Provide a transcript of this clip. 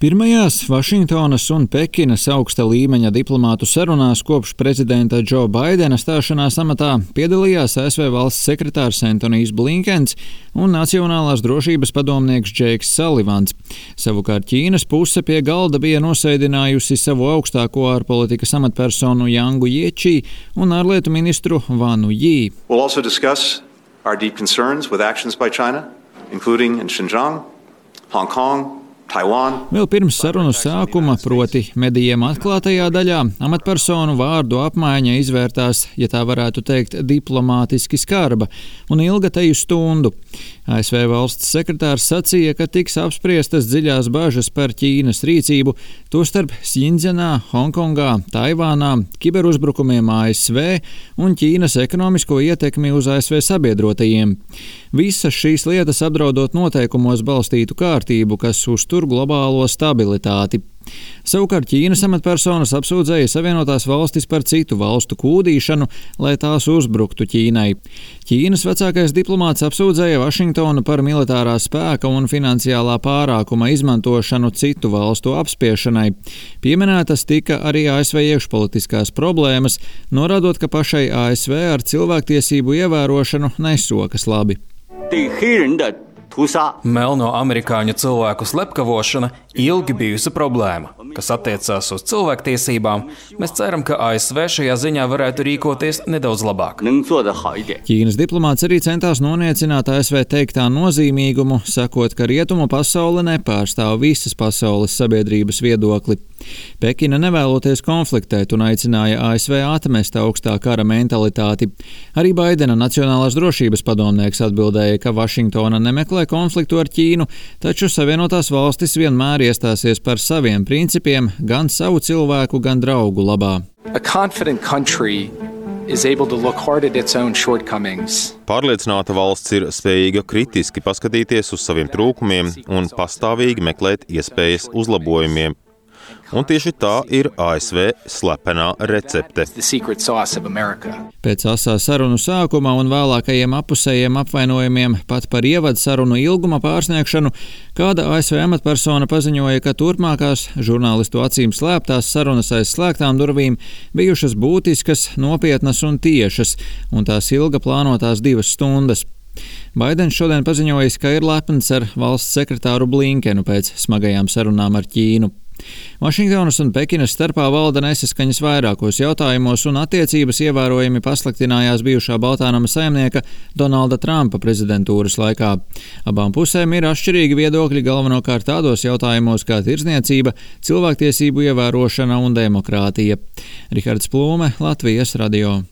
Pirmajās Vašingtonas un Pekinas augsta līmeņa diplomātu sarunās kopš prezidenta Džo Baidena stāšanās amatā piedalījās ASV valsts sekretārs Antonijs Blinkens un Nacionālās drošības padomnieks Džeiks Salivans. Savukārt Ķīnas puse pie galda bija nosēdinājusi savu augstāko ārpolitikas amatpersonu Jangu Jiečī un ārlietu ministru Vanu Jī. We'll also discuss our deep concerns with actions by China, including in Xinjiang, Hong Kong, Taiwan. Vēl pirms sarunu sākuma, proti medijiem atklātajā daļā, amatpersonu vārdu apmaiņa izvērtās, ja tā varētu teikt, diplomātiski skarba un ilga teju stundu. ASV valsts sekretārs sacīja, ka tiks apspriestas dziļās bažas par Ķīnas rīcību, tostarp Xinjiangā, Hongkongā, Taivānā, kiberuzbrukumiem ASV un Ķīnas ekonomisko ietekmi uz ASV sabiedrotajiem. Visas šīs lietas apdraudot noteikumos balstītu kārtību, kas uztur globālo stabilitāti. Savukārt Ķīnas amatpersonas apsūdzēja Savienotās valstis par citu valstu kūdīšanu, lai tās uzbruktu Ķīnai. Ķīnas vecākais diplomāts apsūdzēja Vašingtonu par militārā spēka un finansiālā pārākuma izmantošanu citu valstu apspiešanai. Pieminētas tika arī ASV iekšpolitiskās problēmas, norādot, ka pašai ASV ar cilvēktiesību ievērošanu nesokas labi. Melno amerikāņu cilvēku slepkavošana ilgi bijusi problēma, kas attiecās uz cilvēktiesībām. Mēs ceram, ka ASV šajā ziņā varētu rīkoties nedaudz labāk. Ķīnas diplomāts arī centās noniecināt ASV teiktā nozīmīgumu, sakot, ka rietumu pasaule nepārstāv visas pasaules sabiedrības viedokli. Pekina nevēloties konfliktēt un aicināja ASV atmest augstā kara mentalitāti. Arī Baidena Nacionālās drošības padomnieks atbildēja, ka Vašingtona nemeklē konfliktu ar Ķīnu, taču Savienotās valstis vienmēr iestāsies par saviem principiem, gan savu cilvēku, gan draugu labā. Pārliecināta valsts ir spējīga kritiski paskatīties uz saviem trūkumiem un pastāvīgi meklēt iespējas uzlabojumiem. Un tieši tā ir ASV slepenā recepte. Pēc asā sarunu sākuma un vēlākajiem apusējiem apvainojumiem pat par ievadu sarunu ilguma pārsniegšanu, kāda ASV amatpersona paziņoja, ka turpmākās žurnālistu acīm slēptās sarunas aiz slēgtām durvīm bijušas būtiskas, nopietnas un tiešas, un tās ilga plānotās 2 stundas. Baidens šodien paziņojis, ka ir lepns ar valsts sekretāru Blinkenu pēc smagajām sarunām ar Ķīnu. Vašingtonas un Pekinas starpā valda nesaskaņas vairākos jautājumos un attiecības ievērojami pasliktinājās bijušā Baltānama saimnieka Donalda Trumpa prezidentūras laikā. Abām pusēm ir atšķirīgi viedokļi galvenokārt tādos jautājumos kā tirdzniecība, cilvēktiesību ievērošana un demokrātija. Rihards Plūme, Latvijas radio.